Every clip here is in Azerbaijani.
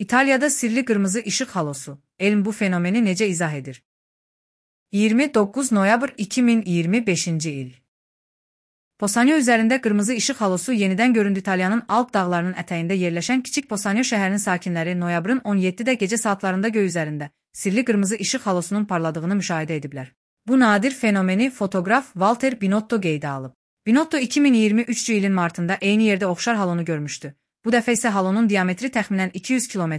İtalya'da sirli kırmızı ışık halosu. Elm bu fenomeni necə izah edir? 29 noyabr 2025 il. Posanyo üzərində qırmızı işıq halosu yenidən göründü. İtalyanın Alp dağlarının ətəyində yerləşən kiçik Posanyo şəhərinin sakinləri noyabrın 17-də gecə saatlarında göy üzərində sirli qırmızı işıq halosunun parladığını müşahidə ediblər. Bu nadir fenomeni fotoqraf Walter Binotto qeydə alıb. Binotto 2023 ilin martında eyni yerdə oxşar halonu görmüşdü. Bu dəfə isə halonun diametri təxminən 200 km,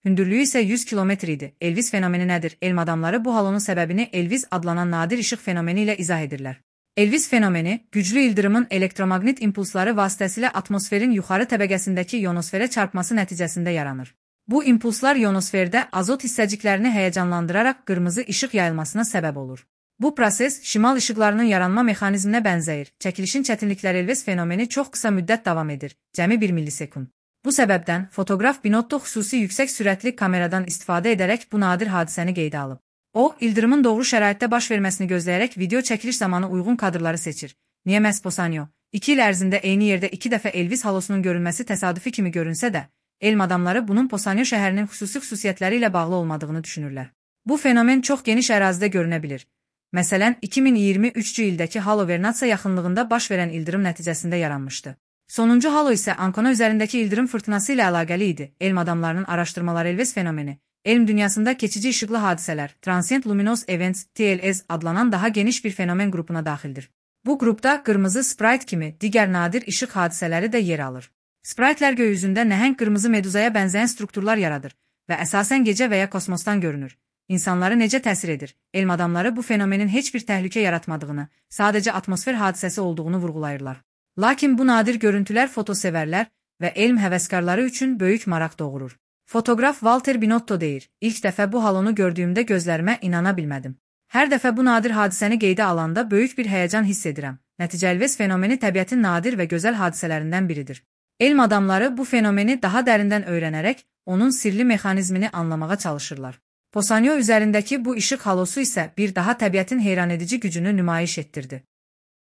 hündürlüyü isə 100 km idi. Elvis fenomeni nədir? Elm adamları bu halonun səbəbini Elvis adlanan nadir işıq fenomeni ilə izah edirlər. Elvis fenomeni, güclü ildırımın elektromaqnit impulsları vasitəsilə atmosferin yuxarı təbəqəsindəki ionosferə çarpması nəticəsində yaranır. Bu impulslar ionosferdə azot hissəciklərini həyəcanlandıraraq qırmızı işıq yayılmasına səbəb olur. Bu proses şimal işıqlarının yaranma mexanizminə bənzəyir. Çəkilişin çətinlikləri Elvis fenomeni çox qısa müddət davam edir, cəmi 1 millisekund. Bu səbəbdən fotoqraf Binotto xüsusi yüksək sürətli kameradan istifadə edərək bu nadir hadisəni qeydə alıb. O, ildırımın doğru şəraitdə baş verməsini gözləyərək video çəkiliş zamanı uyğun kadrları seçir. Niyə məhz Posanyo? 2 il ərzində eyni yerdə 2 dəfə Elvis halosunun görünməsi təsadüfi kimi görünsə də, elm adamları bunun Posanyo şəhərinin xüsusiyyətləri ilə bağlı olmadığını düşünürlər. Bu fenomen çox geniş ərazidə görünə bilir. Məsələn, 2023 ildəki Halo Vernazza yaxınlığında baş verən ildırım nəticəsində yaranmışdı. Sonuncu halo isə Ancona üzərindəki ildırım fırtınası ilə əlaqəli idi. Elm adamlarının araşdırmaları Elvis fenomeni, elm dünyasında keçici işıqlı hadisələr, Transient Luminous Events, TLS adlanan daha geniş bir fenomen qrupuna daxildir. Bu qrupda qırmızı sprite kimi digər nadir işıq hadisələri də yer alır. Spritelər göy üzündə nəhəng qırmızı meduzaya bənzəyən strukturlar yaradır və əsasən gecə və ya kosmosdan görünür. İnsanları necə təsir edir? Elm adamları bu fenomenin heç bir təhlükə yaratmadığını, sadəcə atmosfer hadisəsi olduğunu vurğulayırlar. Lakin bu nadir görüntülər fotosevərlər və elm həvəskarları üçün böyük maraq doğurur. Fotoqraf Walter Binotto deyir, ilk dəfə bu halonu gördüyümdə gözlərimə inana bilmədim. Hər dəfə bu nadir hadisəni qeydə alanda böyük bir həyəcan hiss edirəm. Nəticə Elvis fenomeni təbiətin nadir və gözəl hadisələrindən biridir. Elm adamları bu fenomeni daha dərindən öyrənərək onun sirli mexanizmini anlamağa çalışırlar. Posanyo üzərindəki bu işıq halosu isə bir daha təbiətin heyranedici gücünü nümayiş etdirdi.